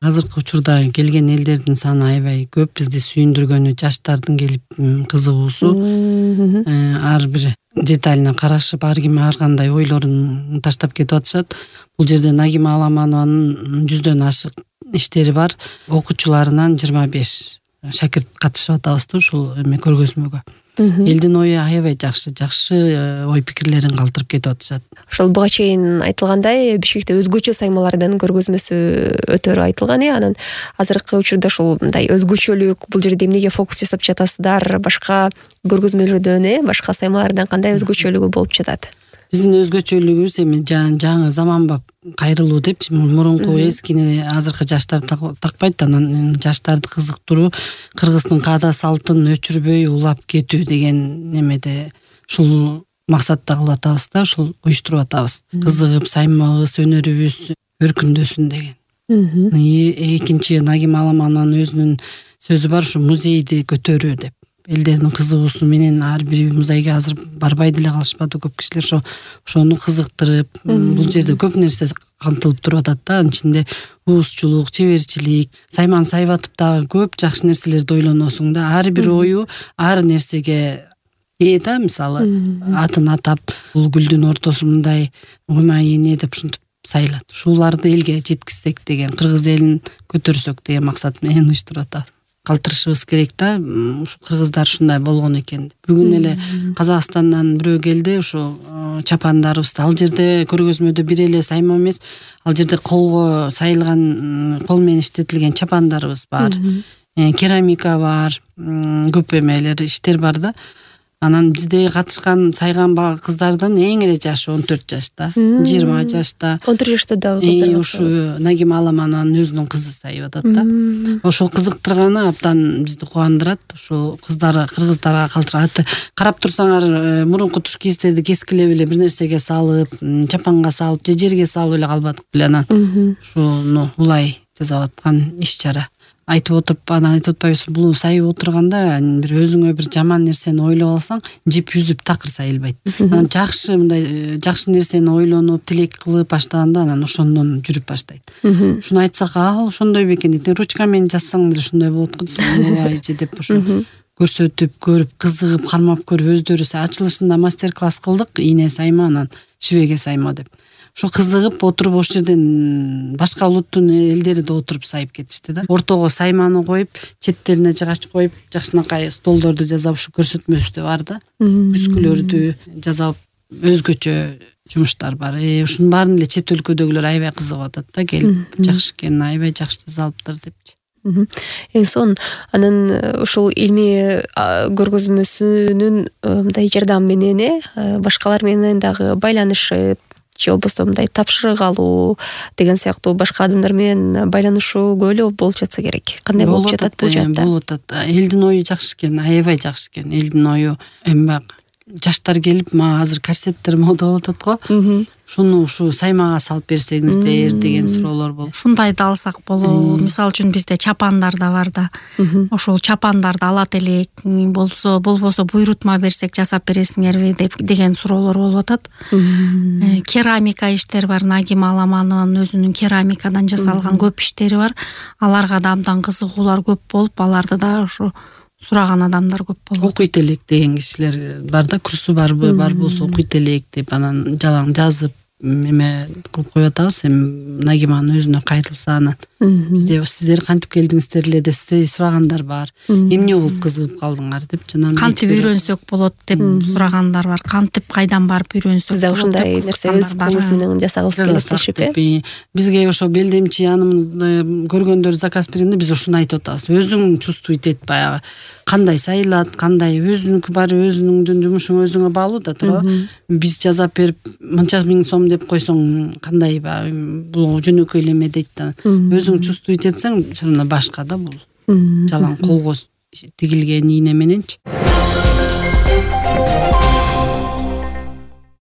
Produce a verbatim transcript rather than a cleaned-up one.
азыркы учурда келген элдердин саны аябай көп. Бизди сүйүндүргөнү жаштардын келип кызыгуусу, ар бир деталине карашып, ар ким ар кандай ойлорун таштап кетип атышат. Бул жерде Нагима Аламанованын жүздөн ашык иштери бар. Окуучуларынан жыйырма беш шакирт катышып атабызды ушул эме көргөзмөгө. Элдин ою аябай жакшы, жакшы ой пикирлерин калтырып кетип атышат. Ошол буга чейин айтылгандай, Бишкекте өзгөчө саймалардын көргөзмөсү өтөрү айтылган э. Анан азыркы учурда ушул мындай өзгөчөлүк, бул жерде эмнеге фокус жасап жатасыздар? Башка көргөзмөлөрдөн э, башка саймалардан кандай өзгөчөлүгү болуп жатат? Биздин өзгөчөлүгүбүз эми жаңы заманбап кайрылуу депчи, мурунку эскини азыркы жаштар такпайт, анан жаштарды кызыктыруу, кыргыздын каада салтын өчүрбөй улап кетүү деген немеде ушул максатта кылып атабыз да, ушул уюштуруп атабыз. Кызыгып, саймагыбыз, өнөрүбүз өркүндөсүн деген. Экинчи Нагима Аламанованын өзүнүн сөзү бар, ушу музейди көтөрүү деп. Элдердин кызыгуусу менен ар бир музейге азыр барбай деле калышпады көп кишилер. Ошо ошону кызыктырып, бул жерде көп нерсе камтылып туруп атат да. Анын ичинде уузчулук, чеберчилик, сайман сайбатып дагы көп жакшы нерселерди ойлоносуң да. Ар бир ою ар нерсеге ээ да, мисалы атын атап, бул гүлдүн ортосу мындай уймай эне деп ушинтип сайлат. Ушуларды элге жеткизсек деген, кыргыз элин көтөрсөк деген максат менен уюштуруп атат. Калтырышыбыз керек да, ушу кыргыздар ушундай болгон экен. Бүгүн эле Казакстандан бирөө келди, ушу чапандарыбызды, ал жерде көргөзмөдө бир эле сайма эмес, ал жерде колго сайылган, кол менен иштетилген чапандарыбыз бар, керамика бар, көп эмелер, иштер бар да. Анан бизде катышкан, сайган кыздардын эң эле жашы он төрт жашта, жыйырма жашта. он төрт жашта дагы кыздар. Ушу Нагима Аламанованын өзүнүн кызы сайып атат да. Ошол кызыктырганы абдан бизди кубандырат. Ошол кыздар кыргыздарга калтырат. Карап турсаңар, мурунку туш кийиздерди кескилеп эле бир нерсеге салып, чапанга салып, же жерге салып эле калбадык беле. Анан ушуну улай жасап аткан иш-чара. Айтып отуруп, анан айтып атпайбызбы, бул сайып отурганда бир өзүңө бир жаман нерсени ойлоп алсаң, жип үзүп такыр сайылбайт. Анан жакшы мындай жакшы нерсени ойлонуп, тилек кылып баштаганда анан ошондон жүрүп баштайт. Ушуну айтсак, а ошондой бекен дейт. Ручка менен жазсаң деле ушундай болот го десең, ооба деп ошо көрсөтүп, көрүп, кызыгып, кармап көрүп, өздөрү ачылышында мастер-класс кылдык, ийне сайма, анан шибеге сайма деп. Ошо кызыгып отуруп, ошол жерден башка улуттун элдери да отуруп сайып кетишти да. Ортого сайманы коюп, четтерине жыгач коюп, жакшынакай столдорду жасап, ушу көрсөтмөбүздө бар да. Үскүлөрдү жасап, өзгөчө жумуштар бар. Ушунун баарын эле чет өлкөдөгүлөр аябай кызыгып атат да, келип, жакшы экен, аябай жакшы жасалыптыр депчи. Эң сон анан ушул илмий көргөзмөсүнүн мындай жардамы менен э башкалар менен дагы байланышып, же болбосо мындай тапшырык алуу деген сыяктуу башка адамдар менен байланышуу көп болуп жатса керек. Кандай болуп жатат бул жакта? Болуп атат. Элдин ою жакшы экен, аябай жакшы экен. Элдин ою эми бак жаштар келип, мага азыр корсеттер мода болуп атат го. Шуну ушу саймага салып берсеңиздер деген суроолор болот. Шундайды алсак болобу. Мисалы үчүн бизде чапандар да бар да. Ошол чапандарды алат элек, болсо болбосо буйрутма берсек жасап бересиңерби деп деген суроолор болуп атат. Керамика иштер бар. Нагима Аламанованын өзүнүн керамикадан жасалган көп иштери бар. Аларга да абдан кызыгуулар көп болуп, аларды да ушу сураган адамдар көп болот. Окуйт элек деген кишилер бар да, курсу барбы, бар болсо окуйт элек деп анан жалаң жазып эме кылып коюп атабыз. Эми Нагиманын өзүнө кайрылса, анан бизде сиздер кантип келдиңиздер эле деп сурагандар бар. Эмне болуп кызыгып калдыңар деп, жана кантип үйрөнсөк болот деп сурагандар бар. Кантип кайдан барып үйрөнсөк болот. Бизде ушундай нерсе өз колубуз менен жасагыбыз келет дешип э. Бизге ошо белдемчи анын көргөндөр заказ бергенде биз ушуну айтып атабыз. Өзүң чувствуйт эт, баягы кандай сайылат, кандай өзүнүкү бар, өзүңдүн жумушуң өзүңө баалуу да туурабы. Биз жасап берип мынча миң сом деп койсоң кандай бул жөнөкөй эле эме дейт да. Өзүң чувствуйт этсең, башка да бул. Жалаң колго тигилген ийне мененчи.